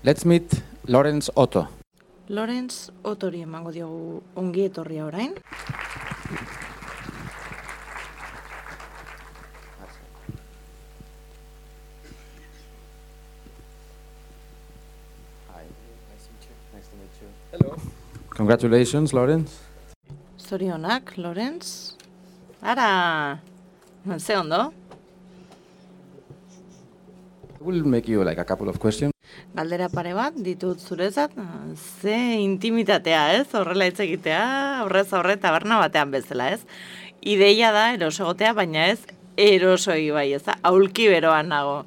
Let's meet Lawrence Otto. Lawrence Ottori emango diogu ongi etorria orain. Hi, nice to meet you. Hello. Congratulations, Lawrence. Zorionak, Lawrence. Ara, ze ondo? I will make you like a couple of questions. Galdera pare bat ditut zurezat, ze intimitatea, ez? Horrela hitz egitea, aurrez aurre taberna batean bezala, ez? Ideia da eroso egotea, baina ez erosoi bai, ez da? Aulki beroan nago.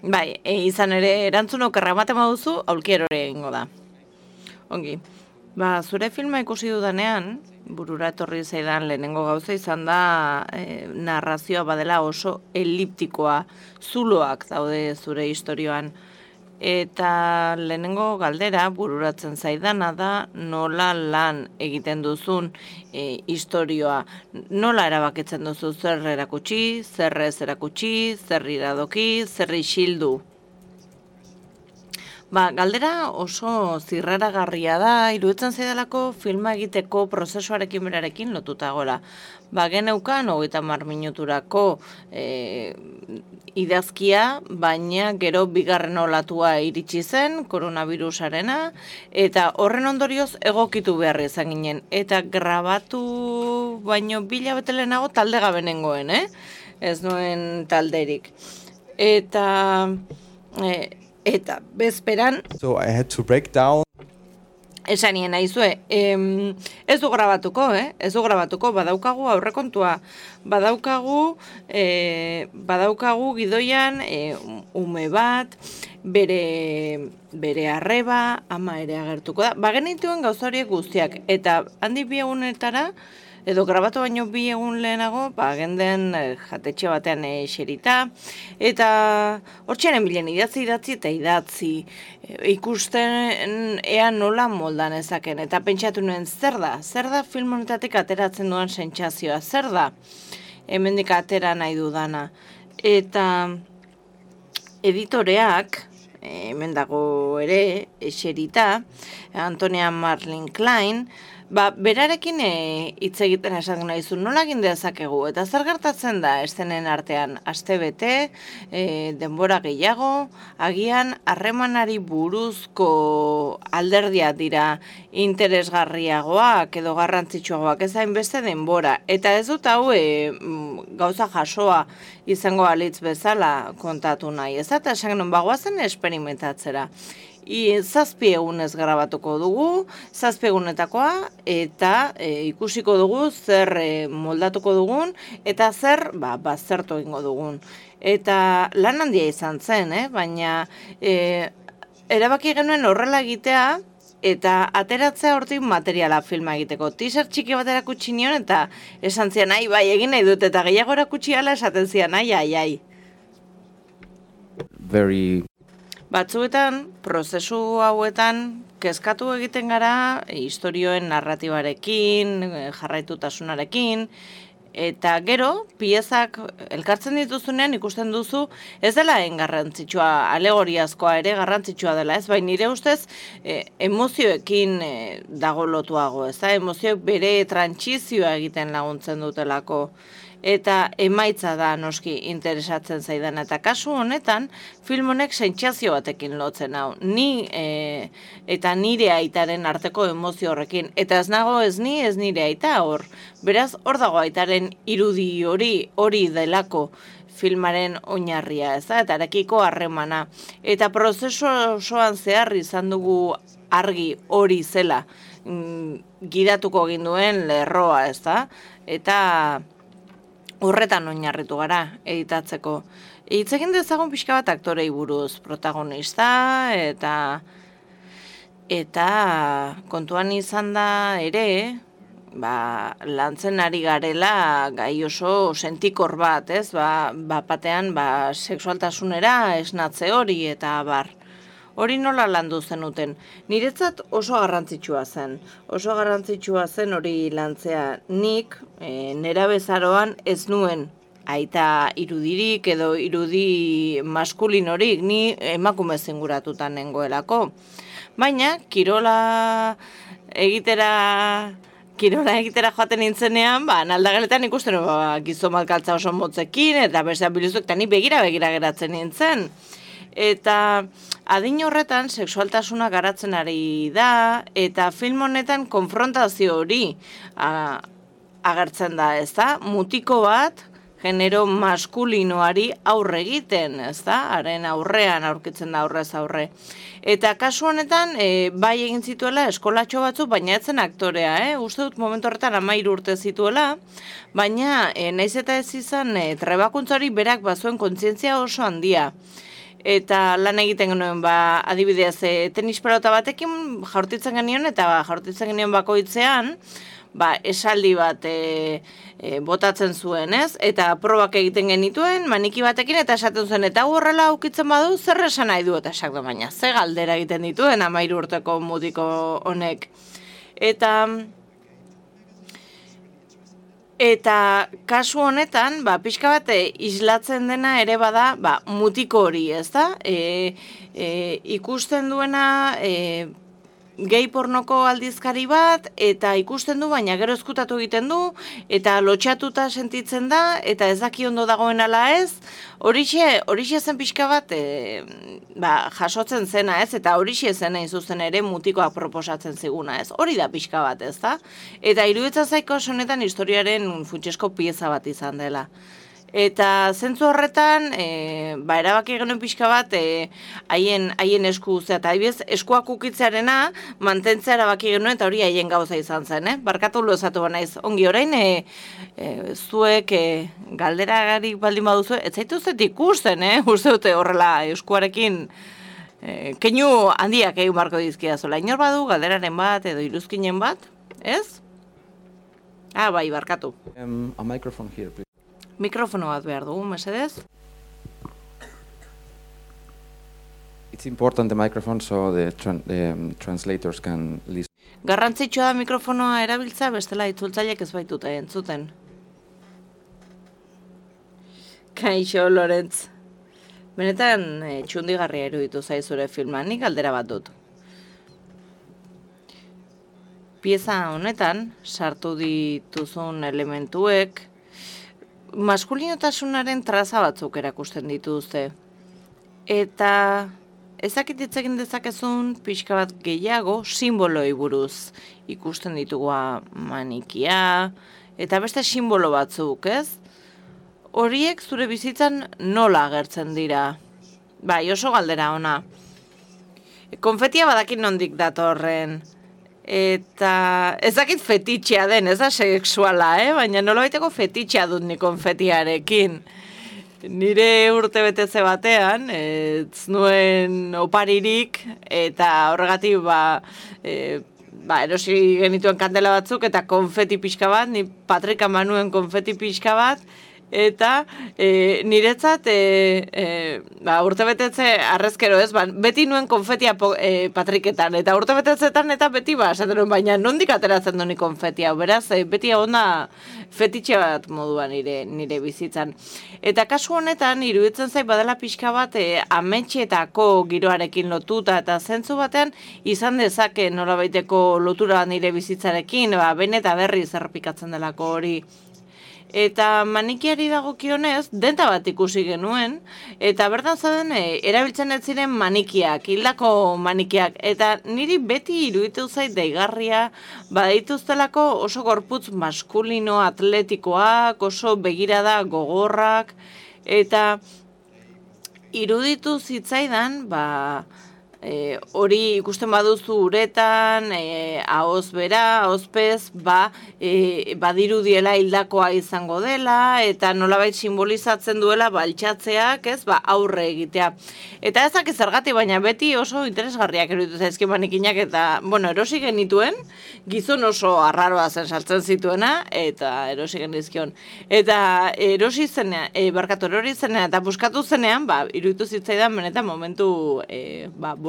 Bai, izan ere erantzun okerra ematen baduzu, aulki erore egingo da. Ongi. Ba, zure filma ikusi dudanean, burura etorri zaidan lehenengo gauza izan da narrazioa badela oso eliptikoa, zuloak daude zure istorioan. Eta lehenengo galdera bururatzen zaidana da nola lan egiten duzun istorioa. Nola erabakitzen duzu zer erakutsi, zer ez erakutsi, zer iradoki, zer isildu. Ba, galdera oso zirraragarria da, iruditzen zaidalako filma egiteko prozesuarekin berarekin lotuta gola. Ba, geneukan 30 minuturako idazkia, baina gero bigarren olatua iritsi zen, koronavirusarena, eta horren ondorioz egokitu behar izan ginen. Eta grabatu baino 2 hilabete lehenago talde gabe nengoen, Ez nuen talderik. Eta bezperan... So I had to break down. Esan nien naizue, ez du grabatuko, Ez du grabatuko, badaukagu aurrekontua. Badaukagu gidoian ume bat, bere arreba, ama ere agertuko da. Bagenituen gauza horiek guztiak, eta handik 2 egunetara, edo grabatu baino 2 egun lehenago, genden jatetxe batean eserita, eta hortxearen bilen idatzi eta idatzi, ikusten ea nola moldan ezaken, eta pentsatu nuen zer da film honetatik ateratzen duan sentsazioa, zer da hemendik atera nahi dudana. Eta editoreak, hemen dago ere, eserita, Antonia Marlin Klein, berarekin hitz egiten esan nahizu, nola egin dezakegu, eta zer gertatzen da eszenen artean, astebete, denbora gehiago, agian harremanari buruzko alderdiak dira interesgarriagoak edo garrantzitsuagoak, ez hainbeste denbora, eta ez dut hau gauza jasoa izango alitz bezala kontatu nahi, ez eta esan genuen bagoazen esperimentatzera. 7 egunez grabatuko dugu, 7 egunetakoa, eta ikusiko dugu zer moldatuko dugun, eta zer baztertu egingo dugun. Eta lan handia izan zen, baina erabaki genuen horrela egitea, eta ateratzea hortik materiala filma egiteko. Teaser txiki bat erakutsi nion, eta esan zian, bai, egin nahi dut, eta gehiago erakutsi ala esaten zian, ai. Very... Batzuetan, prozesu hauetan, kezkatu egiten gara istorioen narratibarekin, jarraitutasunarekin, eta gero, piezak elkartzen dituzunean ikusten duzu, ez dela garrantzitsua, alegoriazkoa ere garrantzitsua dela, ez bai nire ustez emozioekin dago lotuago, ez da, emozioek bere trantsizioa egiten laguntzen dutelako. Eta emaitza da noski interesatzen zaidan, eta kasu honetan film honek sentsazio batekin lotzen hau, ni eta nire aitaren arteko emozio horrekin, eta ez nago ez ni ez nire aita hor, beraz hor dago aitaren irudi hori delako filmaren oinarria, ez da, eta arekiko harremana, eta prozesu osoan zehar izan dugu argi hori zela gidatuko ginduen lerroa, ez da, eta horretan oinarritu gara editatzeko. Hitz egin dezagun pixka bat aktorei buruz, protagonista eta kontuan izan da ere, lantzen ari garela gai oso sentikor bat, ez? Batean sexualtasunera esnatze hori eta bar. Hori nola landu zenuten? Niretzat oso garrantzitsua zen. Oso garrantzitsua zen hori lantzea. Nik nerabezaroan ez nuen aita irudirik edo irudi maskulinorik, ni emakume zinguratutan nengoelako. Baina, kirola egitera joaten nintzenean, naldageletan ikusten gizon malkaltza oso motzekin, eta besteak biluzuk, eta ni begira geratzen nintzen. Eta adin horretan sexualtasuna garatzen ari da, eta film honetan konfrontazio hori agertzen da, ez da? Mutiko bat, genero maskulinoari aurre egiten, ez da? Haren aurrean aurkitzen da aurrez aurre. Eta kasu honetan, bai egin zituela eskolatxo batzuk, baina etzen aktorea, uste dut momentu horretan 13 urte zituela, baina naiz eta ez izan trebakuntzari berak bazuen kontzientzia oso handia. Eta lan egiten genuen, adibidez, tenis pelota batekin jaurtitzen genion, eta jaurtitzen genion bakoitzean, esaldi bat botatzen zuen, ez? Eta probak egiten genituen, maniki batekin, eta esaten zuen, eta horrela aukitzen badu, zer esan nahi du, eta esak da, baina, ze galdera egiten dituen 13 urteko mutiko honek. Eta kasu honetan, pixka bat islatzen dena ere bada, mutiko hori, ez da? Ikusten duena gehi pornoko aldizkari bat, eta ikusten du, baina gero ezkutatu egiten du, eta lotxatuta sentitzen da, eta ez daki ondo dagoen ala ez, horixe zen pixka bat jasotzen zena ez, eta horixe zen hain zuzen ere mutikoak proposatzen ziguna ez, hori da pixka bat ez da, eta iruditzen zaiko honetan historiaren funtsesko pieza bat izan dela. Eta zentzu horretan, erabaki genuen pixka bat, haien esku uzea, eta eskuak ukitzearena mantentzea erabaki genuen, eta hori haien gauza izan zen, Barkatu lozatu banaiz, ongi orain, zuek galderagarik baldin baduzu, ez zaitu zet ikusten, uste dute horrela eskuarekin, keinu handiak egin barko dizkia zola, inor badu, galderaren bat, edo iruzkinen bat, ez? Bai, barkatu. A microphone here, please. Mikrofono bat behar dugu, mesedez? It's important the microphone so the translators can listen. Garrantzitsua da mikrofonoa erabiltza, bestela itzultzaileek ez baitute entzuten. Kaixo, Lorentz. Benetan txundigarria iruditu zaizure filma, nik galdera bat dut. Pieza honetan, sartu dituzun elementuek, maskulinotasunaren traza batzuk erakusten dituzte. Eta ezakititzekin dezakezun pixka bat gehiago simboloi buruz. Ikusten ditugu manikia, eta beste simbolo batzuk, ez? Horiek zure bizitzan nola agertzen dira? Bai, oso galdera ona. Konfetia badakin nondik datorren. Eta ezakit fetitxea den, ez da sexuala, baina nolabaiteko fetitxea dut ni konfetiarekin. Nire urte betetze batean, ez nuen oparirik, eta horregatik erosi genituen kandela batzuk, eta konfeti pixka bat, ni Patrika manuen konfeti pixka bat, eta niretzat urtebetetze arrezkero ez, beti nuen konfetia Patriketan, eta urtebetetzetan eta beti esaten nuen, baina nondik ateratzen duen konfetia, beraz, beti onda fetitxe bat moduan nire bizitzan. Eta kasu honetan, iruditzen zait badela pixka bat ametxetako giroarekin lotuta, eta zentzu batean izan dezake nolabaiteko lotura nire bizitzarekin, ben eta berri zerrepikatzen delako hori. Eta manikiari dagokionez, denta bat ikusi genuen, eta bertan zauden erabiltzen ez ziren manikiak, hildako manikiak, eta niri beti iruditu zait deigarria, badituztelako oso gorputz maskulino atletikoak, oso begirada gogorrak, eta iruditu zitzaidan, hori ikusten baduzu uretan, ahoz bera, ahozpez, badirudiela hildakoa izango dela, eta nolabait simbolizatzen duela altxatzeak, aurre egitea. Eta ezak zergatik, baina beti oso interesgarriak eruditu zaizki manikinak, eta, erosi genituen, gizon oso arraroa zen saltzen zituena, eta erosi genizkion. Eta erori zenean, eta buskatu zenean, iruditu zitzaidan, benetan momentu,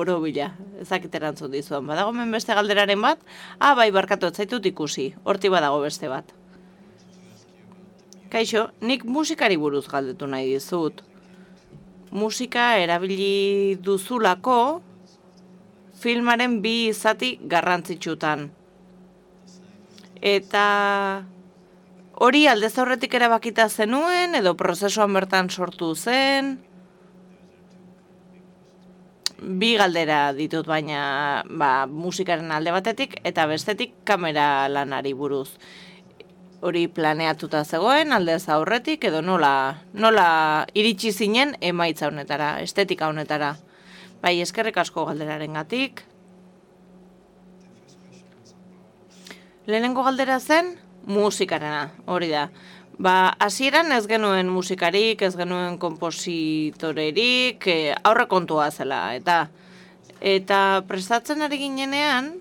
borobila, ezakit erantzun dizuan. Badago hemen beste galderaren bat? Bai, barkatu, ez zaitut ikusi. Horti badago beste bat. Kaixo, nik musikari buruz galdetu nahi dizut. Musika erabili duzulako filmaren bi zati garrantzitsutan. Eta hori aldez aurretik erabakita zenuen edo prozesuan bertan sortu zen? Bi galdera ditut baina musikaren alde batetik eta bestetik kamera lanari buruz. Hori planeatuta zegoen aldez aurretik edo nola iritsi zinen emaitza honetara, estetika honetara. Bai, eskerrik asko galderarengatik. Lehenengo galdera zen musikarena, hori da. Hasieran ez genuen musikarik, ez genuen konpositorerik, aurrekontua zela, eta prestatzen ari ginenean,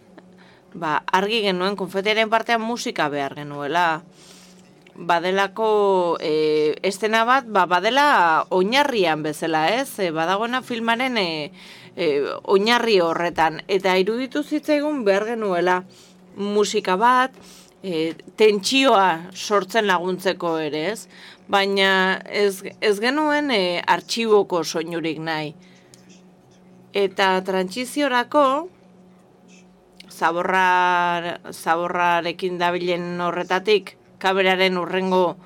argi genuen konfetiaren partean musika behar genuela. Badelako estena bat, badela oinarrian bezala, ez? Badagoena filmaren oinarri horretan, eta iruditu zitzaigun behar genuela musika bat, tentsioa sortzen laguntzeko ere, ez? Baina ez genuen artxiboko soinurik nahi. Eta trantsiziorako, zaborrarekin dabilen horretatik, kameraren urrengo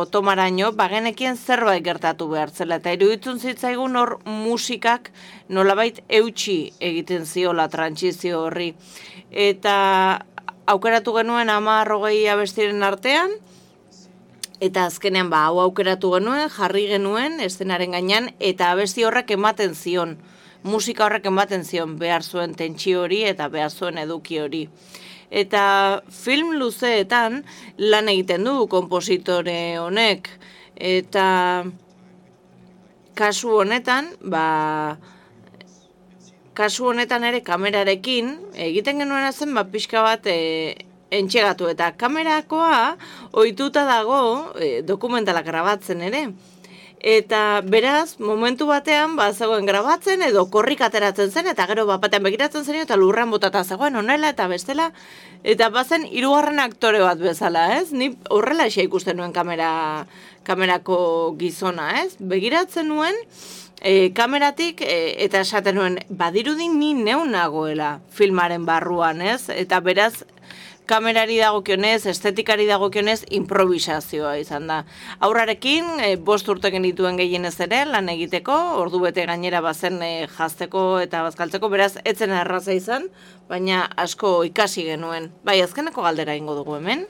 tomaraino, bagenekien zerbait gertatu behar zela. Eta iruditzen zitzaigun hor musikak nolabait eutxi egiten ziola trantsizio horri. Eta aukeratu genuen 10-20 abestiren artean, eta azkenean hau aukeratu genuen, jarri genuen eszenaren gainean, eta abesti horrek ematen zion, musika horrek ematen zion behar zuen tentsio hori eta behar zuen eduki hori. Eta film luzeetan lan egiten du konpositore honek, eta kasu honetan, ere kamerarekin, egiten genuena zen pixka bat entxegatu, eta kamerakoa ohituta dago dokumentalak grabatzen ere. Eta beraz, momentu batean, zegoen grabatzen edo korrik ateratzen zen, eta gero batean begiratzen zen, eta lurran botata zegoen honela eta bestela, eta bazen hirugarren aktore bat bezala, ez? Ni horrela ikusten nuen kamerako gizona, ez? Begiratzen nuen, kameratik, eta esaten nuen, badirudi ni neun nagoela filmaren barruan, ez? Eta beraz, kamerari dagokionez, estetikari dagokionez, improvisazioa izan da. Aurrarekin, 5 urte genituen gehienez ere, lan egiteko, ordu bete gainera bazen jazteko eta bazkaltzeko, beraz, etzen erraza izan, baina asko ikasi genuen. Bai, azkeneko galdera ingo dugu hemen.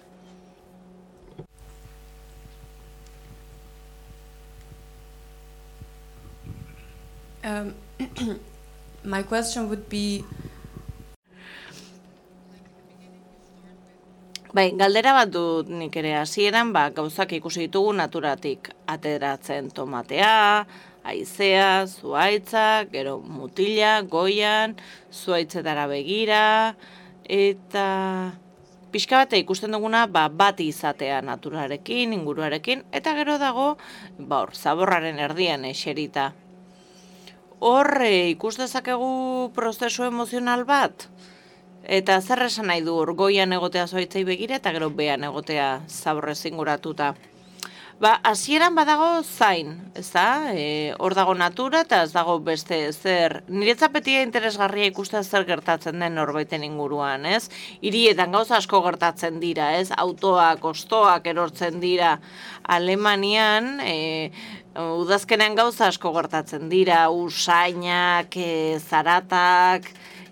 My question would be... Bai, galdera bat dut nik ere hasieran, gauzak ikusi ditugu naturatik ateratzen tomatea, haizea, zuhaitzak, gero mutila, goian, zuhaitzetara begira, eta pixka bat ikusten duguna bat izatea naturarekin, inguruarekin, eta gero dago, zaborraren erdian eserita. Hor ikus dezakegu prozesu emozional bat? Eta zer esan nahi du goian egotea zuhaitzei begira eta gero behan egotea zaborrez inguratuta. Hasieran badago zain, ezta? Hor dago natura eta ez dago beste zer. Niretzat beti interesgarria ikustea zer gertatzen den norbaiten inguruan, ez? Hirietan gauza asko gertatzen dira, ez? Autoak, ostoak erortzen dira. Alemanian, udazkenean gauza asko gertatzen dira, usainak, zaratak,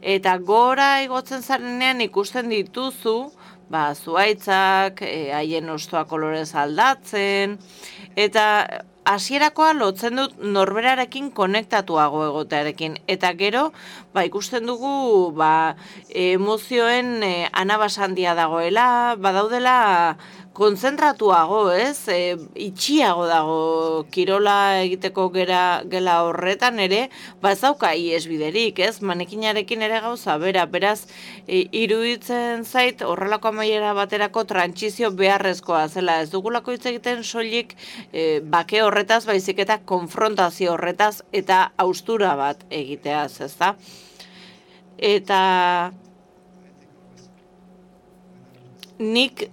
eta gora igotzen zarenean ikusten dituzu, zuhaitzak, haien ostoa kolorez aldatzen, eta hasierakoa lotzen dut norberarekin konektatuago egotearekin. Eta gero, ikusten dugu, emozioen anabasandia dagoela, badaudela kontzentratuago, ez? Itxiago dago kirola egiteko gela horretan ere, ez dauka iesbiderik, ez? Manekinarekin ere gauza, beraz, iruditzen zait horrelako amaiera baterako trantsizio beharrezkoa zela. Ez dugulako hitz egiten soilik bake horretaz, baizik eta konfrontazio horretaz eta haustura bat egiteaz, ezta? Eta nik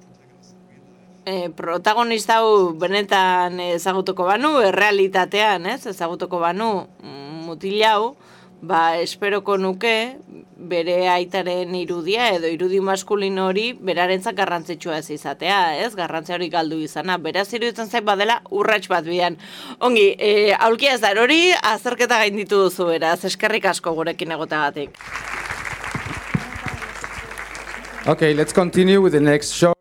protagonista hau benetan ezagutuko banu, errealitatean, ezagutuko banu mutil hau, esperoko nuke bere aitaren irudia edo irudi maskulino hori berarentzat garrantzitsua ez izatea, garrantzia hori galdu izana. Beraz iruditzen zait badela urrats bat bidean. Ongi, aulkia ez da hori, azterketa gainditu duzu beraz, eskerrik asko gurekin egotagatik. Okay, let's continue with the next show.